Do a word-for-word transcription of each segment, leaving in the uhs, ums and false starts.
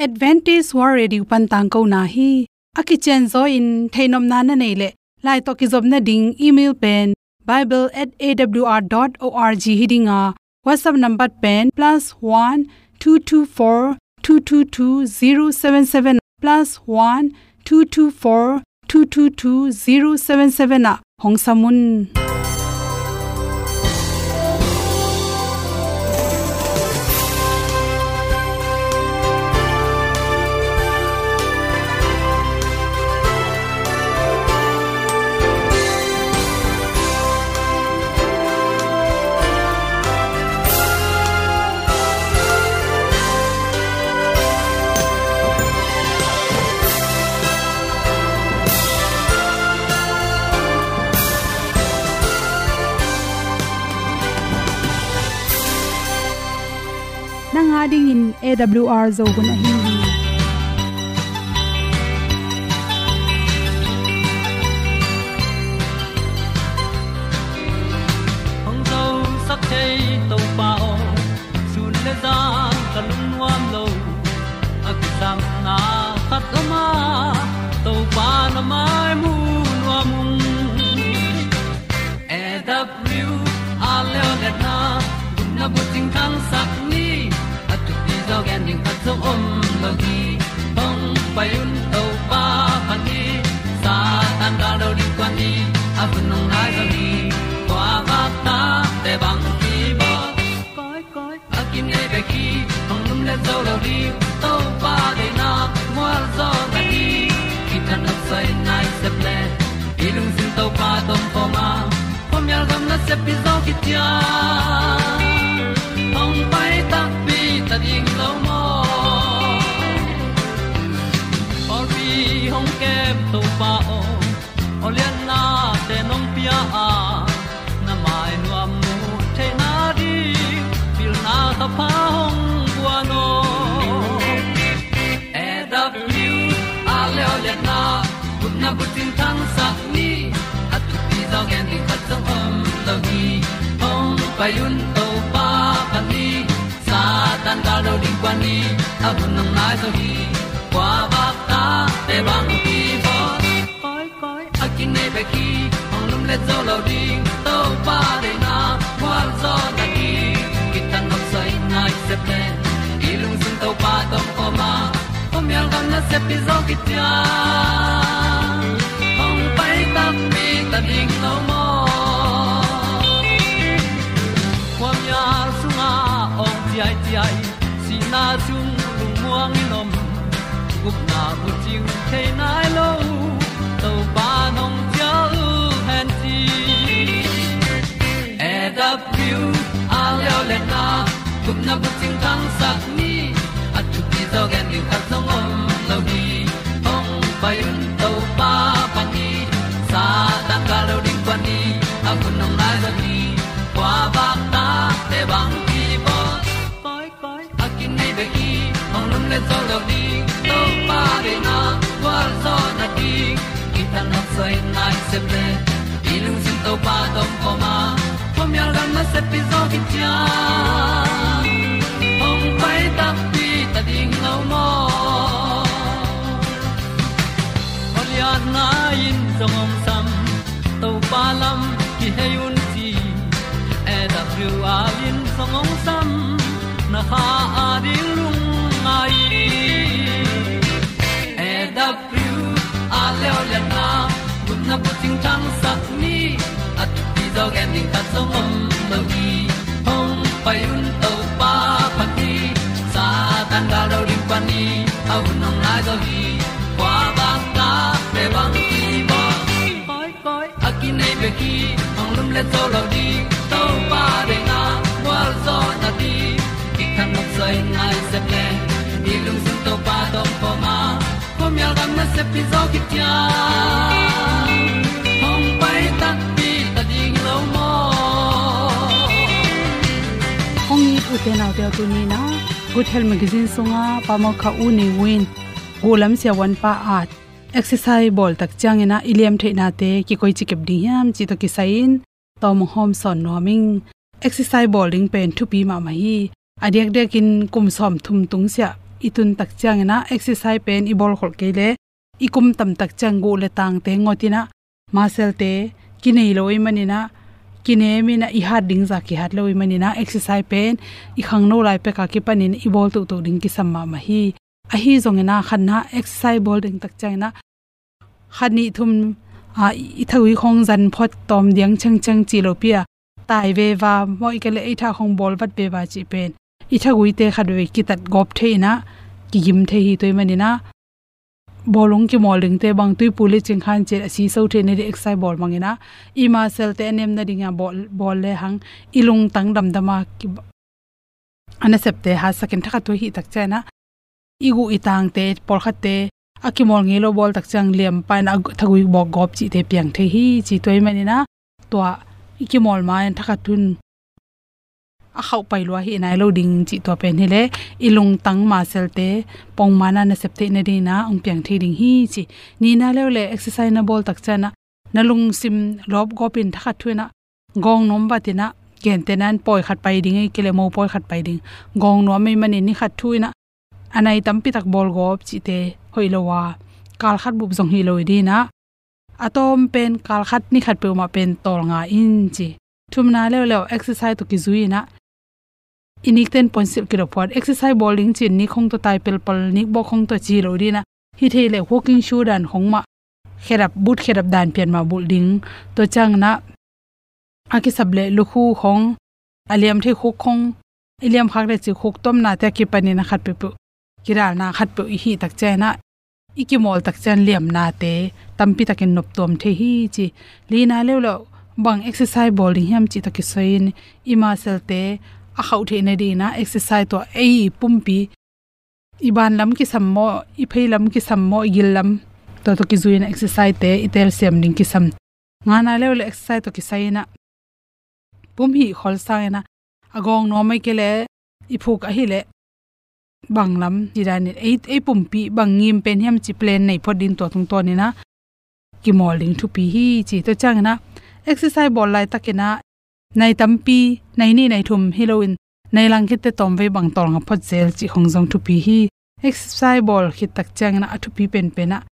Adventist World Radio pan tangkona hi. A kicianzaw in theihnopna na neih leh, lai tawh kizopna ding email pen bible at A W R dot org hi ding a, WhatsApp number pen plus one two two four two two two zero seven seven, plus one two two four two two two zero seven seven ah hong sam un. Nang a dingin A W R Zo hun ahi hi. Hong zosak thei Topa aw, sun le zan ka lungnuam lo. A kisapna khat om a, Topa na mai mu nuam ung. A W R Leoliatna gupna bucing thangsak ni, a thupi zaw gen ding khat zong om lo hi. Hong pai un Topa phat ni, Satan gal do ding kuan ni, a hun hong nai zaw hi. Kua vakta te bang kibawl, koi koi a kinei bek hi. Hong lumlet zo lo ding, Topa deihna mual zaw na hi. Kithat nopsai nai sep le, i lungsim Topa tawh om khawm a, khuamial gam nasep pi zaw kician. Hong pai takpi ta ding lo maw? Pawlpi hong kem Topa aw, aw lianna te nong pia a, na mai nuam mu theihna ding pilna thapha hong guan aw. A W R Leoliatna gupna bucing thangsak ni, a thupi zaw gen ding khat zong om lo hi. Hong pai un Topa phat ni, Satan gal do ding kuan ni, a hun hong nai zaw hi. Kua vakta te bang kibawl, koi koi a kinei bek hi. Hong lumlet zo lo ding, Topa deihna mual zaw na hi. Kithat nopsai nai sep le, i lungsim Topa tawh om khawm a, khuamial gam nasep pi zaw kician. Hong pai takpi ta ding lo maw? Khuamial sungah awng ciaiciai, sihna sung lungmuang in om, gupna bucing thei nai lo, Topa nong cial hen ci. A W R Leoliatna gupna bucing thangsak ni, a thupi zaw gen ding khat zong om lo hi. Hong pai un Topa phat ni, Satan gal do ding kuan ni, a hun hong nai zaw hi. Kua vakta te bang kibawl, koi koi a kinei bek hi. Hong lumlet zo lo ding, Topa deihna mual zaw na hi. Kithat nopsai nai sep le, i lungsim Topa tawh om khawm a, khuamial gam nasep pi zaw kician. Hong pai takpi ta ding lo maw? Aw lianna in zong hong sam, Topa lam kihei un ci. A W R in zong hong sam, na kha a ding lungngai. A W R Leoliatna gupna bucing thangsak ni, a thupi zaw gen ding khat zong om lo hi. Hong pai un Topa phat ni, Satan gal do ding kuan ni, a hun hong nai zaw hi. Kua vakta te bang kibawl, koi koi a kinei bek hi. Hong lumlet zo lo ding, Topa deihna mual zaw na hi. Kithat nopsai nai sep le, i lungsim Topa tawh om khawm a, khuamial gam nasep pi zaw kician. Hong pai takpi ta ding lo maw? Hong it u te nau te aw, tuni in ah Good Health Magazine sungah Pa Mawlkha U Nei U in, Gulam Siavuan pa at exercise bawl tak ciangin ah i liam theihnate kikoici kep ding hiam cih tawh kisai in tawm hong hawm sawn nuam ing. Exercise bawl ding pen thupi mahmah hi. A diakdiakin kum sawmthum tung siah i tun tak ciangin ah exercise pen i bawl kholh kei leh i kum tam tak ciang guh le tangte ngot in ah, muscle-te kinei lo ahih manin ah, kinem in ah, i hat ding zah kihat lo ahih manin ah, exercise pen i khangno lai pek a kipanin i bawl tuhtuh ding kisam mahmah hi. Ahi zongin ah khatna exercise bawl ding tak ciangin ah khat nih thum, ah, i thagui khawng zan phot tawm diang ciangciang ci lo pi a, tai veva maw, ahih kei leh ei tha khawng bawl vat veva cih pen i thaguite khat veve kitat gawp thei in ah, kigim thei hi. Tua ahih manin ah bawlung kimawl dingte bang tuipu le cingkhan cih a siso theihna ding exercise bawl mangin ah, i muscle-te a nem nading a bawl, bawl lehang i lungtang damdam a ki, a nasepte hatsakin, thakhat thu ahih tak ciangin ah i guh i tangte, pawlkhatte a kimawl ngei lo bawl tak ciang liam pah in ah a thagui bawk gawp cihte piang thei hi ci. Tua ahih manin ah tua i kimawl ma-in thakhat thu in a khauh pai lua hi nai lo ding cih tua pen hi leh i lungtang muscle-te pongman a nasep theihna dingin ah hong piang thei ding hi ci. Nihna leuleu exercise na bawl tak ciangin ah na lungsim lawp gawp in thakhat thu in ah gawng nuam vat in ah, gentehna-in pawi khat pai ding ahih kei leh mopawi khat pai ding, gawng nuam ahih manin ni khat thu in ah a nai tampi tak bawl gawp cihte hoih lo a, kal khat bup zong hi lo hi ding in ah, a tawm pen kal khat ni khat peuhmah pen tawlnga in ci. Thumna leuleu exercise tawh kizui in ah, i nikten puansilh kidop phot, exercise bawl ding ci-in nik khawng tawh tai pelpal, nik bawk khawng tawh ci lo ding in ah, hi thei leh walking shoe dan khawng mah, khedap, boot khedap dan pian mah bulh ding. Tua ciangin ah a kisap leh lukhu khawng, a liam thei khuk khawng, i liam khak leh cih khuk tuamnate a kipanin a khat peuhpeuh, kidalna khat peuh i hih tak ciangin ah, i kimawl tak ciang liamnate tampi takin noptuam thei hi ci. Lina leuleu bang exercise bawl ding hiam cih tawh kisai-in i muscle-te a khauh theihna dingin ah exercise tua ei pumpi, i ban lam kisam maw, i phei lam kisam maw, i gil lam, tua tawh kizui-in ah exercise-te i telsiam ding kisam. Ngana leuleu exercise tawh kisai-in ah pum hih khol sangin ah, a gawng nuam ahih kei leh i phuk ahih leh bang lam cih danin ei, ei pumpi bang ngim pen hiam cih plan nei phot ding, tua tungtawnin ah kimawl ding thupi hi ci. Tua ciangin ah exercise bawl laitakin ah nai tampi, nai nih nai thum hi loin nai lang khitte tawmvei bang tawlnga phot zel cih khawng zong thupi hi. Exercise bawl khit tak ciangin ah a thupi penpen ah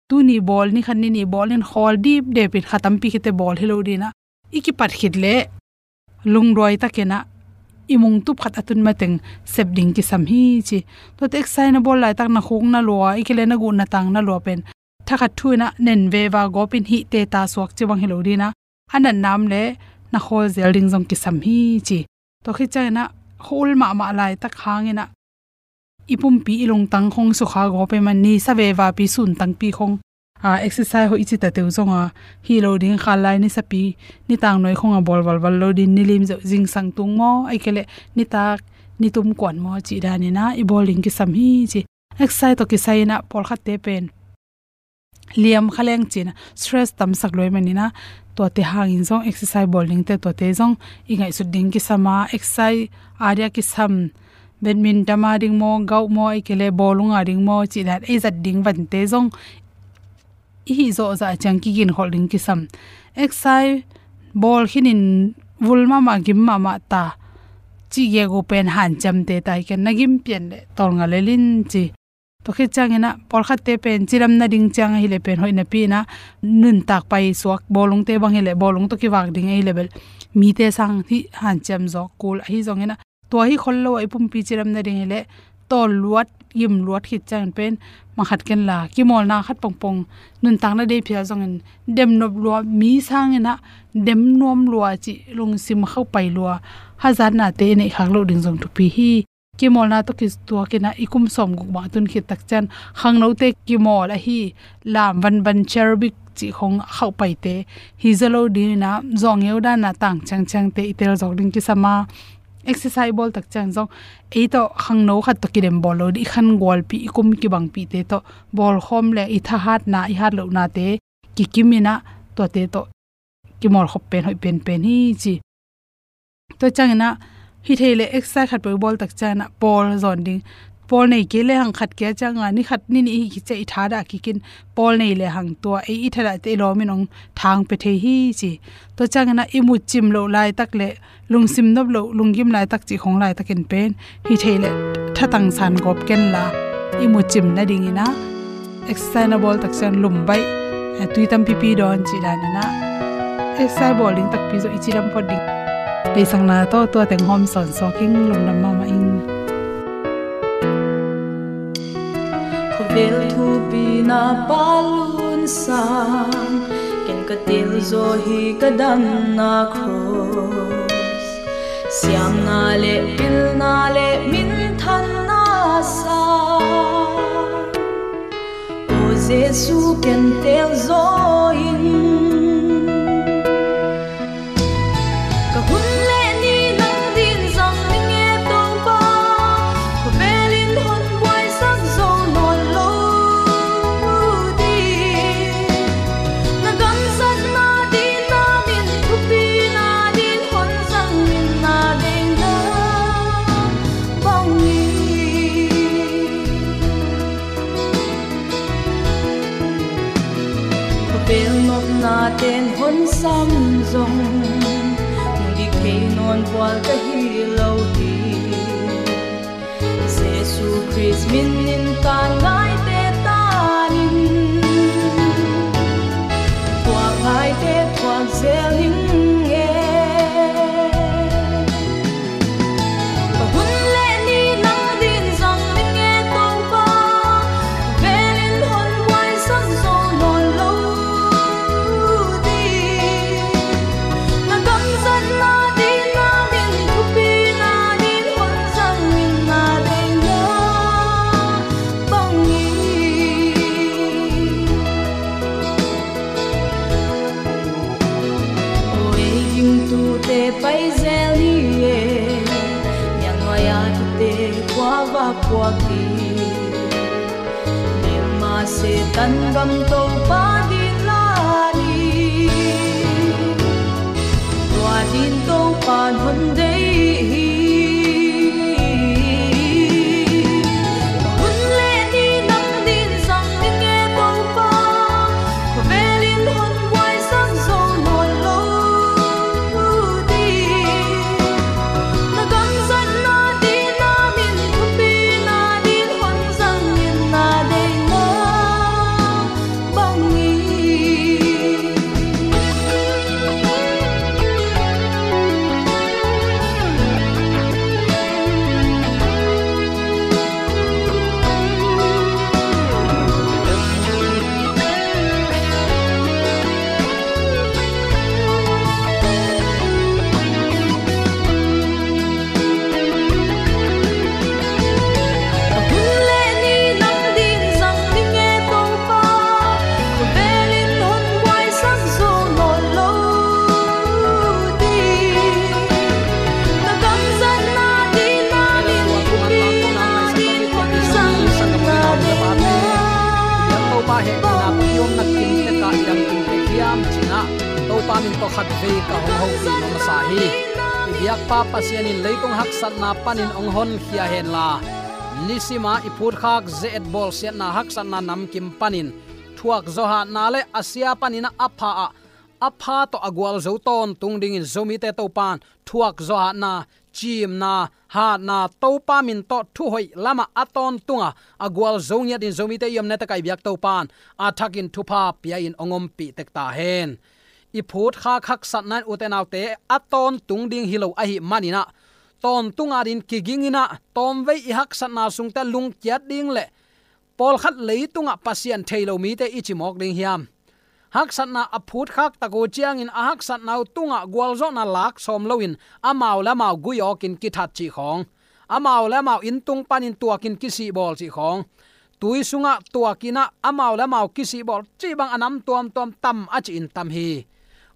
tuni bawl, ni khat ni nih bawl in khawl dipdep in kha tampi khitte bawl hi lo ding in ah, i kipat khit leh lungduai takin ah i mungtup khat a tun mateng sep ding kisam hi ci. Tuate exercise na bawl laitak na khuk na lua, ahih kei leh na guh na tang na lua pen thakhat thu in ah nen veva gawp in hih teta suak ci bang hi lo ding in ah, a natna om leh na khawl zel ding zong kisam hi ci. Tua khit ciangin ah khawl mahmah laitak hangin ah i pumpi i lungtang khawng sukha gawp ahih man, nisa vevapi suntangpi khawng, a, exercise hoih i cih tateu zong a, hi lo ding, khanlai nisapi, nitang nuai khawng a bawl valval lo ding, nilim zeuh zingsang tung maw, ahih kei leh nitak nitum kuan maw cih danin ah i bawl ding kisam hi ci. Exercise tawh kisai-in ah pawlkhatte pen liam kha leng ci-in ah stress tamsak lua ahih manin ah, tuate hangin zong exercise bawl dingte tuate zong i ngaihsut ding kisam a, exercise a dia kisam, badminton a ding maw, golf maw, ahih kei leh bawlung a ding maw cih dan ei zat ding vante zong i hih zawh zah ciang kiginkholh ding kisam. Exercise bawl khinin vul mahmah, gim mahmah ta cih gegu pen hanciamte ta hi ken, na gim pian leh tawlnga lel in ci. Tua khit ciangin ah pawlkhatte pen cidam nading ciang ahih leh pen hoih napi-in ah nuntak paisuak, bawlungte bang hi leh bawlung tawh kivak ding ahih leh bel mite sang hih hanciam zawk kul, ahi zongin ah tua hi khol lo ah i pumpi cidam nading hi leh tawl luat, gim luat khit ciangin pen mangkhat ken la, kimawlna khat pongpong, nuntakna dei phial zongin dem nop lua, mi sangin ah dem nuam lua cih lungsim khauh pai lua, hazatnate i neih khak loh ding zong thupi hi. Kimawlna tawh kituakin ah i kum sawmguk bang a tun khit tak ciang khangnote kimawl ahi lam vanvan, cherbik cih khawng a khauh paite hi zaw lo dingin ah, zawh ngeu dan a tang ciangciangte i tel zawk ding kisam a, exercise bawl tak ciang zong ei tawh khangno khat tawh kidem bawl lo ding, i khangualpih, i kum kibangpihte tawh bawlkhawm leh i thahatna, i hatlohnate kikim in ah tuate tawh kimawl khop pen hoih penpen hi ci. Tua ciangin ah hi thei leh exercise khat peuh i bawl tak ciangin ah pawl zawn ding, Pawl nei kei le hang khat kia cianga ni khat ni nih hi kiciah i thadah kikin, pawl nei le hang tua ei i thadah te i lawmin hong thang pia thei hi ci. Tua ciangin ah i mucim loh laitak le lungsim nop loh, lunggim laitak cih khong laitakin pen hi thei le thatang san gawp kenla i mucim nadingin ah exercise na bawl tak ciang lum baih, eh, tui tampipi dawn cih danin ah exercise bawl ding takpi zawh i cidam phot ding. Beisakna tawh tua teng hawm sawnsaw king, lungdam mahmah ing. Khuavel thupi na palun sang, ken ka tel zaw hi ka damna cross. Siamna le pilna le minthanna sang, O Jesu ken tel zaw in. Ka hun le ni nang din zang ning e Topa, khuavelin hon buaisak zo nawn lo ding. Na gamzatna din, na min thupina din hon zang in na deihna bangin. Khuavel nopna ten hon sam zong, mu dik thei nawn vual ka hi lo hi. Jesu Khrist min in ka ngaite tanin, thuak ngaite thuak zel ning e. Ka hun le ni nang din zang ning e Topa, khuavelin hon buaisak zo nawn lo ding. Na gamzatna din, na min thupina din hon zang in na deihna bangin. O ei gingtute pai zel ni e, niangnuai a kite khuavak puak hi. Dilma Setan gam Topa ding la ni, tua din Topa hon deih hi. Hun le ni nang din zang ning e Topa, khuavelin hon buaisak zo nawn lo ding. Na gamzatna din, na min thupina din hon zang in na deihna bangin. Hun le ni nang din zang ning e Topa, khuavelin hon buaisak zo nawn lo ding. Na gamzatna din, na min thupina din hon zang in na deihna bangin. Topa hehpihna pi om na kim teka i dam kim tek hiam cinah, Topa min tawh khat vei ka hong hopih masa hi. I biakpa Pasian in leitung haksatna panin hong honkhia henla, nisima i phutkhak ze-et bawlsiatna haksatna namkim panin thuak zawhatna le a sia panin a pha ah a pha tawh a gualzo tawntung dingin Zomite Topan thuak zawhatna, cimna, hatna, Topa min tawh thuhoih lamah a tawntunga a gualzo ngiatin Zomite i omna tekah i biak Topan a thakin thupha pia-in hong ompih tek ta hen. I phutkhak haksatna in ute naute a tawntung ding hi lo ahih maninah, tawntunga din kiginginah tawmvei i haksatna sungte lungkiat ding le pawlkhat leitungah Pasian thei lo mite i cimawk ding hiam? Haksatna a phutkhak tak uh ciangin a haksatna uh tungah gualzawhna lak sawm loin amau le amau gui awkin kithat cih khawng, amau le amau inntung panin tuakin kisihbawl cih khawng, tui sungah tuakinah amau le amau kisihbawl cih bang a nam tuamtuam tam a cihin tam hi.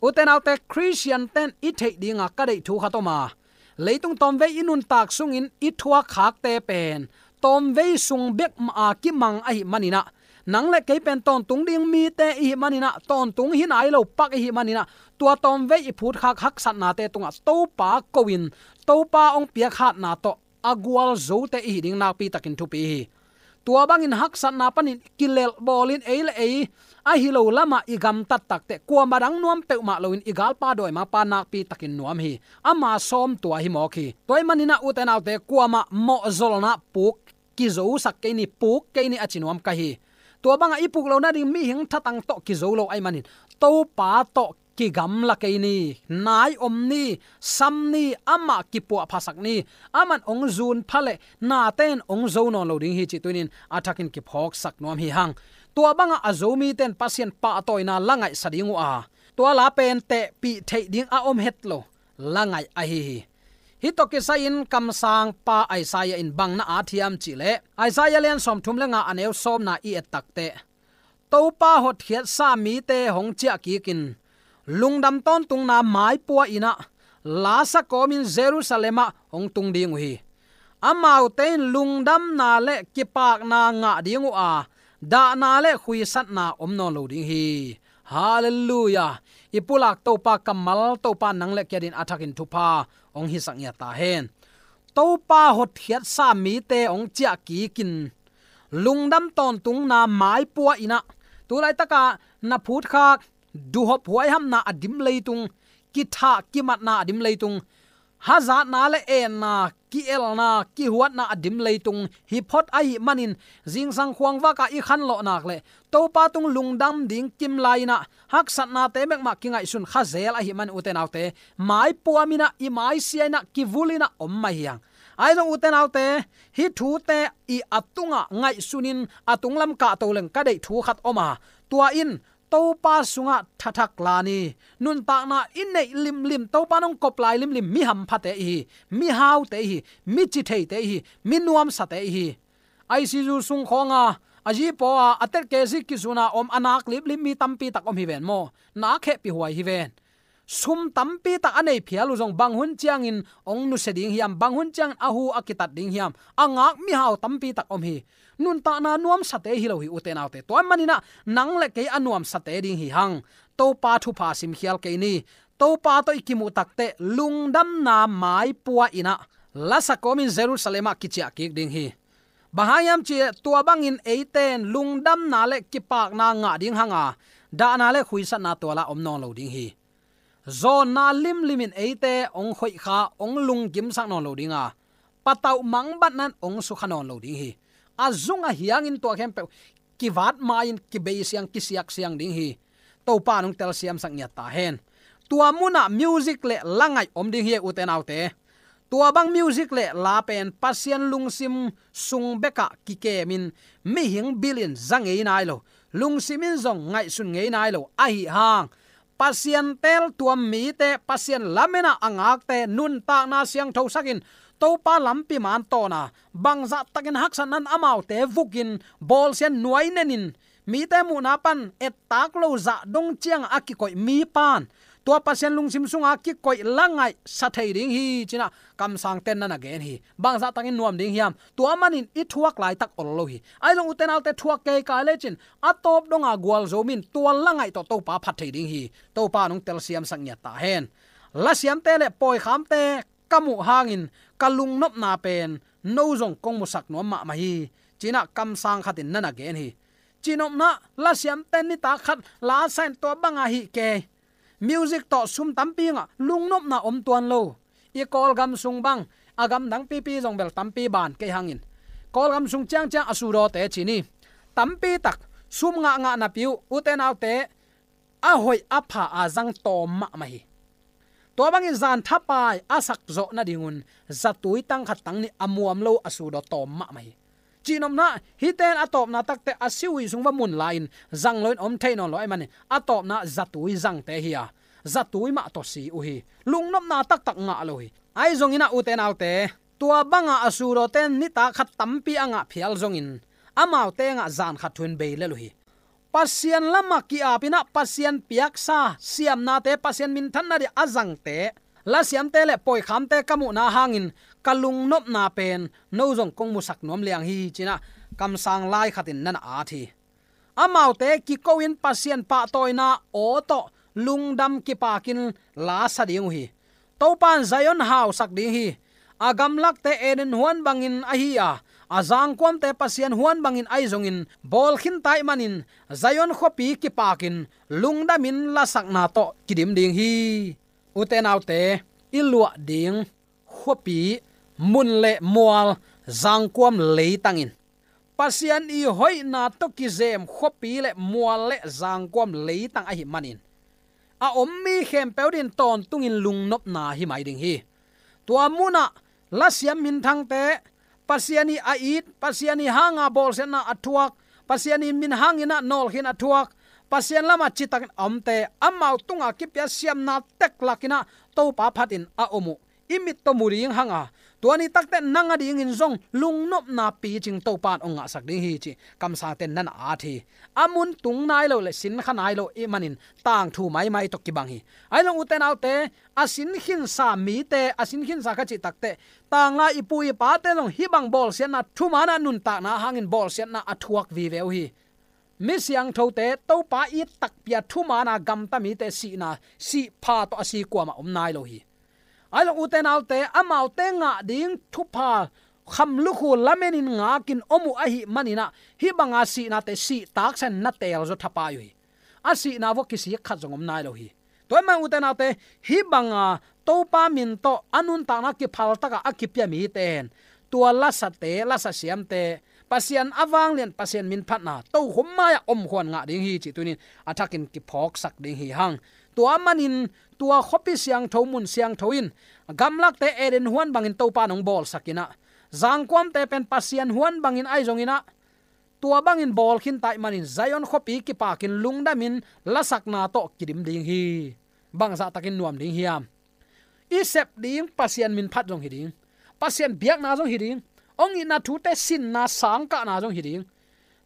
Ute naute, Khristian ten i theih dinga ka deih thu khat om a, leitung tawmvei i nuntak sungin i thuakkhakte pen tawmvei sung bek a kimang ahih maninah, nang le kei pen tawntung ding mite ihih maninah, tawntung hi nai lo pak ihih maninah, tua tawmvei i phutkhak haksatnate tungah Topa ko-in Topa hong piak hatna tawh a gualzote i hi ding nakpi takin thupi hi. Tua bangin haksatna panin kilelh bawlin ei le ei ahi lo lamah i gamtat takteh, kuamah dang nuam peuhmah loin i galpa dawimangpa nakpi takin nuam hi. Ama sawm tua hi mawk hi. Tua ahih maninah ute naute, kuamah mawhzolna puk kizosak kei ni, puk kei ni a ci nuam ka hi. Tua bangah i puk loh nading mihing thatang tawh kizo lo ahih manin, Topa tawh kigamla kei ni, nai om ni, sam ni, amah kipuahphasak ni. Aman hong zun pha leh nate in hong zo nawn lo ding hi cih tunin a thakin kiphawksak nuam hi hang. Tua bangah a Zomite in Pasian pahtawina la ngaihsa ding uh a, tua la pen tehpih theih ding a om het lo la ngaih ahi hi. Hih tawh kisai-in kamsangpa Isaiah in bang na at hiam cihleh, Isaiah lian sawmthum le nga, a neu sawmna i et takteh, Topa hotkhiatsa mite hong ciahkikin, lungdam tawntungna maipua innah lasa kawmin Jerusalem ah hong tung ding uh hi. Amaute in lungdamna le kipakna ngah ding uh a, dahna le khuisatna om nawn lo ding hi. Halleluiah. I pulak Topa kammal, Topa nang le kei adingin a thakin thupha hong hisak ngiat ta hen. Topa hotkhiatsa mite hong ciahkikin, lungdam tawntungna maipua innah, tu laitakah na phutkhak, duhhop huaihamna a dim leitung, kithah kimatna a dim leitung, hazatna le enna, ki-elna, kihuatna a dim leitung hi phot ahih manin, zingsang khuangvakah i khanlawh nak leh Topa tung lungdam ding kim lai-inah haksatnate bekmah kingaihsun kha zel ahih manin ute naute, maipuaminah, i maisia innah, kivul innah om mah hi hang. Ahi zong ute naute, hih thute i a tungah ngaihsunin a tunglam kahto leng ka deih thu khat om a, tua in Topa sungah thathak la ni. Nuntakna i neih limlim, Topa in hong kop lai limlim, mi hamphate i hi, mi haute i hi, mi citheite i hi, mi nuamsate i hi. I C U sung khawnga a zipaw a, a tetkezia kizuna om, a nak liplip mi tampi tak om hi ven maw. Nak hehpih huai hi ven. Sum tampi tak a nei phial uh zong bang hun ciangin hong nusia ding hiam, bang hun ciangin a hu a kitat ding hiam, a ngak mihau tampi tak om hi. Nuntakna nuamsate hi lo hi ute naute. Tua maninah nang le kei a nuamsate ding hi hang. Topa thupha simkhial kei ni. Topa tawh i kimuh takteh lungdamna maipua innah lasa kawmin Jerusalem ah kiciah kik ding hi. Bang hang hiam cihleh, tua bangin eite in lungdamna le kipakna ngah ding hang a, dahna le khuisatna tuala om nawn lo ding hi. Zawnna limlimin eite hong khoihkha, hong lunggimsak nawn lo ding a, patauh mangbatna in hong sukha nawn lo ding hi. A zung a hiangin tua khempeuh kivat ma-in kibeisiang, kisiaksiang ding hi. Topa in hong telsiamsak ngiat ta hen. Tua munah music le la ngaih om ding hi ute naute. Tua bang music le la pen Pasian lungsim sung bekah kikemin, mihing bilin za ngei nai lo, lungsim in zong ngaihsun ngei nai lo ahi hang, Pasian teeltuam mite, Pasian lamenah a ngakte nuntakna siangthosakin, Topa lampi man tawna, bangzahtakin haksatna in amaute vukin, bawlsia'n nuainenin, mite muhna pan ettak lo zah dong ciangah a kikoih mipa'n tua Pasian lungsim sunga kikoih la ngaihsa thei ding hi, cinah kamsangte'n na na gen hi. Bangzahtakin nuam ding hiam? Tua manin i thuak laitak ol lo hi. Ahi zong ute naute, thuak kei kai lecin a tawp donga gualzo min tua la ngaih tawh Topa phat thei ding hi. Topa in hong telsiamsak ngiat ta hen. Lasiamte le pawikhamte ka muh hangin ka lungnopna pen no zong kong musak nuam mahmah hi, cinah kamsang khatin na na gen hi. Cihnopna, lasiamte nitak khat la sa in tua banga hih kei. Music tawh sum tampi ngah, lungnopna om tuan lo. I Kawlgam sung bang, a gamdang pipi zong bel tampi ban kei hangin, Kawlgam sung ciangciang a sudawte ci ni. Tampi tak sum ngahngah napi uh, ute naute, a hoih a pha a zang tawm mahmah hi. Tua bangin zan thapai a sakzawh nadingun zatui tang khat tang nih a muam lo a sudaw tawm mahmah hi. Cihnopna, hihte in a tawpna takteh a siuhi sung va mun lai-in zang loin om thei nawn lo ahih manin a tawpna zatui zangte hi a, zatui mah tawh si uh hi. Lungnopna taktak ngah lo hi. Ahi zongin ah ute naute, tua banga a sudawte in nitak khat tampi a ngah phial zongin amaute ngah zan khat thu-in bei lel uh hi. Pasian lamah ki-apin ah Pasian piaksa siamnate, Pasian minthanna ding a zangte, lasiamte le pawikhamte ka muhna hangin ka lungnopna pen no zong kong musak nuam liang hi, cinah kamsang lai khatin na na at hi. Amaute kiko-in Pasian pahtawina aw tawh lungdam kipakin la sa ding uh hi. Topa in Zion hausak ding hi. A gamlakte Eden huan bangin ahi a, a zangkuamte Pasian huan bangin ahi zongin bawl khinta ahih manin Zion khuapi kipakin lungdamin lasakna tawh kidim ding hi. Ute naute, i luah ding khuapi, mun le mual, zangkuam leitangin Pasian i hoihna tawh kizem khuapi le mual le zangkuam leitang ahih manin a om mi khempeuh adingin tawntungin lungnopna hi mai ding hi. Tua munah lasiam minthangte, Pasian i a it, Pasian i hanga bawlsiatna a thuak, Pasian i min hangin a nawlkhin a thuak, Pasian lamah citakin a omte, amau tunga kipia siamna teklakin a Topa phatin a om uh i mit tawh mu ding hanga, tua ni takte nang adingin zong lungnopna picing Topa in hong ngahsak ding hi cih kamsangte na na at hi. A mun tung nai lo le sin kha nai lo ahih manin tangthu maimai tawh kibang hi. Ahi zong ute naute, a sin khinsa mite, a sin khinsa kha cih takte, tanglai i pu i pate zong hih bang bawlsiatna thumaana nuntakna hangin bawlsiatna a thuak vive uh hi. Mi siangthote, Topa it takpi a thumaana gamta mite sihna, sih pha tawh a si kuamah om nai lo hi. Ahi zong ute naute, amaute ngah ding thupha kham lukhu lamenin ngakin om uh ahih manin a, hih banga sihnate sih taksa in na teelzaw thapai uh hi. A sihna vua kisik khat zong om nai lo hi. Tua ahih manin ute naute, hih banga Topa min tawh a nuntakna kiphal taka a kipia mite hen, tua lasate, lasa siamte, Pasian a vanglian, Pasian min phatna tokhom mai-ah omkhuan ngah ding hi cih tunin a thakin kiphawksak ding hi hang. Tua manin tua khuapi siangtho, mun siangtho in gamlakte Eden huan bangin Topa in hong bawlsakin a, zangkuamte pen Pasian huan bangin ahi zongin a, tua bangin bawl khinta ahih manin Zion khuapi kipakin lungdamin lasakna tawh kidim ding hi. Bangzahtakin nuam ding hiam? I sep ding Pasian min phat zong hi ding, Pasian biakna zong hi ding, hong itna thute sinna sangkahna zong hi ding.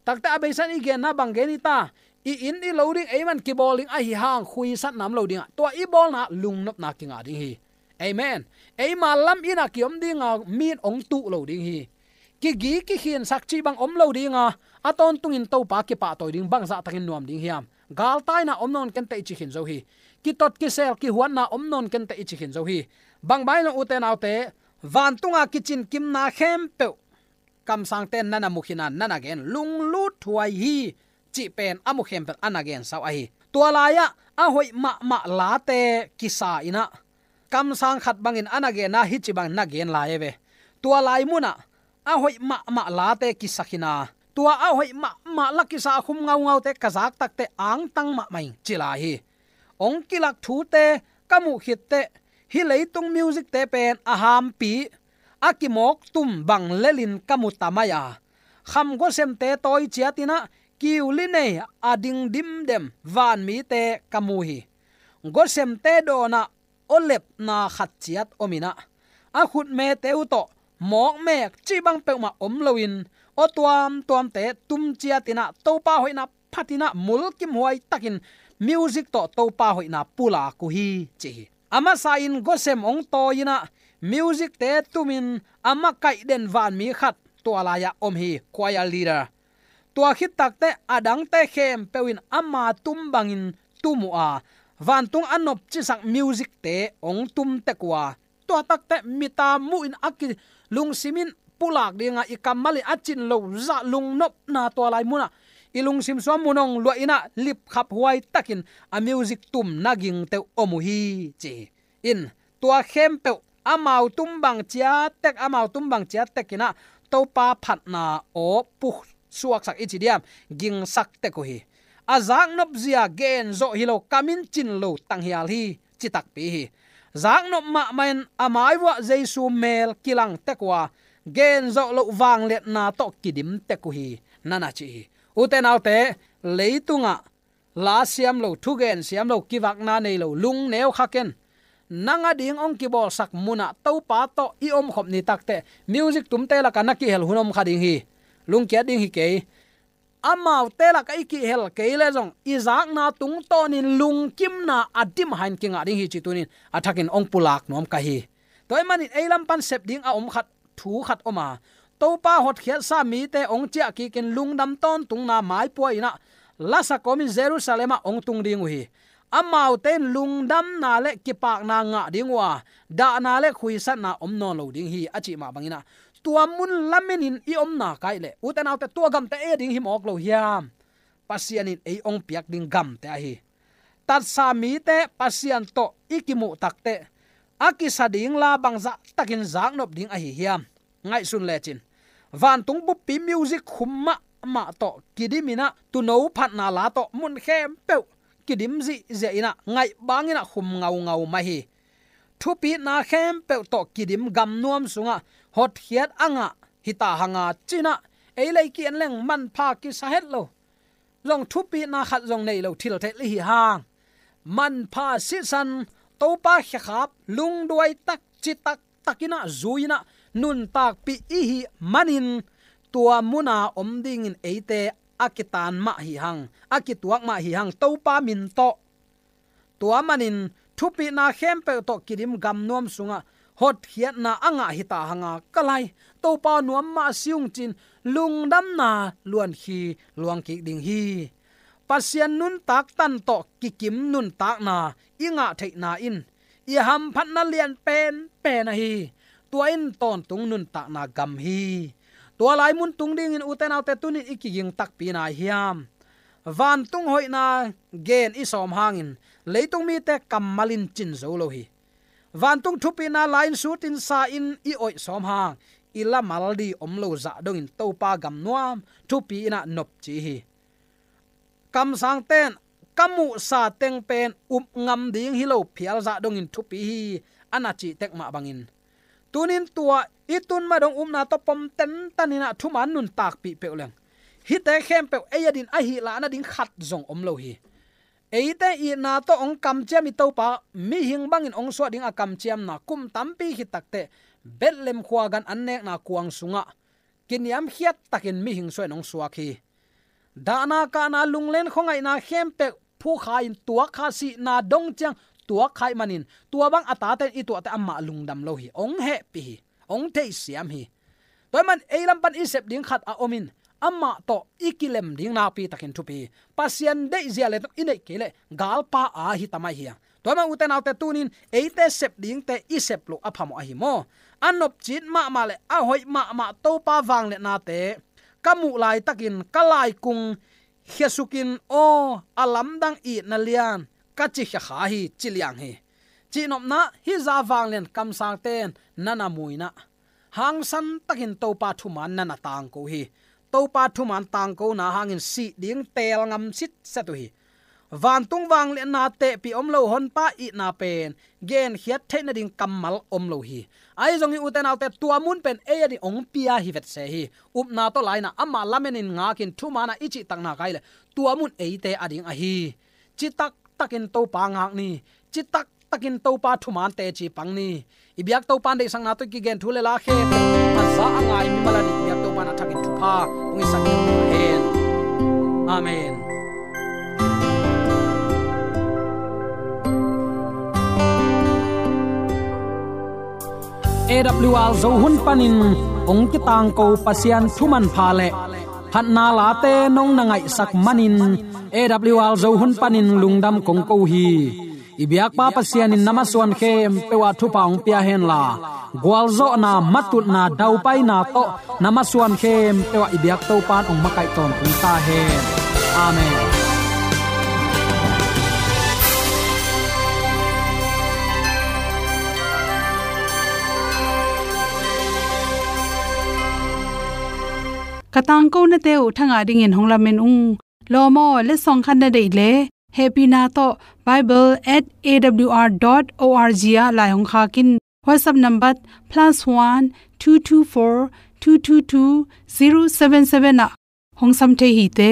Takte a beisa in i genna bang gen hi ta, i inn i lo ding, ei man kibawl ding ahi hang khuisatna om lo ding a, tua i bawlna lungnopna kingah ding hi. Amen. Eima lam inn a kiom dinga mi in hong tuh lo ding hi. Kigi kikhinsak cih bang om lo dinga, a tawntungin Topa kipahtawi ding, bangzahtakin nuam ding hiam? Galtaina om nawn kenteh i ci khin zo hi. Kitot kisel kihuatna om nawn kenteh i ci khin zo hi. Bang bang hi lo ute naute, vantunga kicinkimna khempeuh kamsangte in na na mu khin a, na na gen, lungluthuai hi cih pen a mu khempeuh a na gensa uh ahi. Tua lai-ah a hoih mahmah late kisa in a, kamsang khat bangin a na gen a, hih ci bangin na gen lai e ve. Tua lai munah a hoih mahmah late kisa khin a, tua a hoih mahmah la kisa a khum ngaungaute ka zak takte angtang mahmah ing ci lai hi. Hong kilak thute ka muh khitteh, hih leitung music-te pen a hampi, a kimawk tum bang lelin ka mu ta mai a, kham gawsemte tawi ciatin a, kiuli nei a ding dimdem vanmite ka mu hi. Gawsemte dawnah aw lepna khat ciat om in a, a khutmete uh tawh mawkmek cih bang peuhmah om loin, aw tuamtuamte tum ciatin a, Topa hoihna phatin a, mulkimhuai takin music tawh Topa hoihna pulak uh hi ci hi. A masa in gawsem hong tawi in a, music-te tumin a makaih den vanmi khat tua lai-ah om hi, choir leader. Tua khit takteh a dangte khempeuh in ama tum bangin tum uh a, vantung a nopcisak music-te hong tum tek uh a, tua takteh mita muhin a kilungsim in pulak dinga, i kammal in a cin lo zah lungnopna tua lai munah i lungsim sungah mun hong luah in a, lipkhaphuai takin a music tumna gingte uh om uh hi ci hi. In, tua khempeuh amau tum bang ciat tek, amau tum bang ciat tek in a, Topa phatna aw pusuaksak i ci diam, gingsak tek uh hi. A zaknop zia gen zawh hi lo, kam in cin lo tanghial hi ci takpi hi. Zaknop mahmah in a mai vuah Jesu mel kilang tek uh a, gen zawh loh vangliatna tawh kidim tek uh hi, na na ci hi. Ute naute, leitungah la siam lo, thugen siam lo, kivakna nei lo, lungneu kha ken. Nang a ding hong kibawlsak munah Topa tawh i omkhop ni takteh, music tumte lakah na kihel hun om kha ding hi. Lungkiat ding hi kei. Amaute lakah i kihel kei leh zong, i zakna tungtawnin lungkimna a dimhain kingah ding hi ci tunin a thakin hong pulak nuam ka hi. Tua ahih manin ei lam pan sep ding a om khat, thu khat om a, Topa hotkhiatsa mite hong ciah kikin lungdam tawntungna maipua in a, lasa kawmin Jerusalem ah hong tung ding uh hi. amaute in lungdamna le kipakna ngah ding uh a, dahna le khuisatna om nawn lo ding hi, a cih mah bangin ah, tua mun lamenin i omna kai leh, ute naute, tua gamte ei a ding hi mawk lo hiam? Pasian in ei hong piak ding gamte ahi. Tatsa mite Pasian tawh i kimuh takteh, a kisa ding la bangzah takin zaknop ding ahi hiam? Ngaihsun lecin, vantung buppi music khum mahmah tawh kidim in ah, tuuno phatna la tawh mun khempeuh kidim zihziah in ah, ngaih bangin ah khum ngaungau mah hi. Thupitna khempeuh tawh kidim gamnuam sungah hotkhiat a ngah hi ta hang a, ci-in ah, ei lei ki-en leng manpha kisa het lo, zong thupitna khat zong nei lo thil theih leh hi hang. Manpha sisan, Topa khekhap, lungduai tak, citak takin ah, zui in ah, nuntakpih i hih manin, tua muna om dingin eite a kitaan mah hi hang, a kituak mah hi hang, Topa min tawh. Tua manin, thupitna khempeuh tawh kidim gamnuam sungah hotkhiatna a ngah hi ta hang a, ka lai, Topa nuam mah si ung, ci-in lungdamna luankhi luangkik ding hi. Pasian nuntak tan tawh kikim nuntakna i ngah theihna in i hamphatna lian penpen ahi. Tua in tawntung nuntakna gam hi. Tua lai mun tung dingin, ute naute, tuni-in i kiging takpi na hiam? Vantung hoihna gen i sawm hangin, leitung mite kammal in cin zo lo hi. Vantung thupitna la-in sutin sa-in i oih sawm hang, i lamal ding om lo zah dongin Topa gam nuam, thupi in ah nopci hi. Kamsangte in, ka muhsa teng pen up ngam ding hi lo phial zah dongin thupi hi, a na cih tek mah bangin, tuni-in tua i tun mah dong upna tawh pom tentan in ah thuman nuntakpih peuh leng, hihte khempeuh ei a din ahi lah nading khat zong om lo hi. Eite itna tawh hong kamciam i Topa, mihing bangin hong suah ding a kamciamna kum tampi khit takteh, Bethlehem khua gan annekna kuang sungah kiniamkhiat takin mihing suahin hong suak hi. Dahna kahna, lunglen khuangaihna khempeuh phukha-in tuakkha, sihna dong ciang tuakkha ahih manin, tua bang a tate in i tuahte amah lungdam lo hi, hong hehpih hi, hong theihsiam hi. Tua ahih man ei lam pan i sep ding khat a om in, amah tawh i kilem ding nakpi takin thupi hi. Pasian deihzia le tawh i neih kei leh galpa a hi ta mai hi a. Tua ahih man, ute naute, tuni-in eite sep dingte i sep loh a phamawh ahi maw? A nopcit mahmah le a hoih mahmah Topa vangliatnate ka muh laitakin ka laikung khiasukin, aw, a lamdang itna lian, ka ci khiakha hi, ci liang hi. Cihnopna, hih zah vanglian kamsangte in na na mu in ah, hangsan takin Topa thuman na na tangko hi. Topa thuman tangkona hangin sih ding teel ngam sitset uh hi. Vantung vangliatna tehpih om lo, Honpa itna pen genkhiat theih nading kammal om lo hi. Ahi zongin, ute naute, tua mun pen ei a din hong pia hi vetse hi. Upna tawh la-in ah, amah lamenin ngakin thuman ah i cihtakna kai leh, tua mun eite a ding ahi. Citak takin Topa ngak ni. Citak takin Topa thuman teci pang ni. I biak Topa in deihsakna tawh i kigen thu le la khempeuh a za a ngai mimal a ding i biak Topa in a thakin thupha hong hisak hen. Amen. A W R Zo hun panin hong kitangko Pasian thumanpha le phatna late nong na ngaihsak manin, A W R Zo hun panin lungdam kong ko hi. I biakpa Pasian in na masuan khempeuh ah thupha hong pia henla, gualzawhna, matutna, daupaina tawh na masuan khempeuh ah i biak Topa in hong makaih tawntung ta hen. Amen. Ka tangkonate uh thangah dingin hong lamen ung. Lawm aw, letsong khat na deih leh, hehpihna tawh bible at A W R dot O R G ah lai hong khak in. WhatsApp number plus one two two four two two two zero seven seven ah hong sam thei hi te.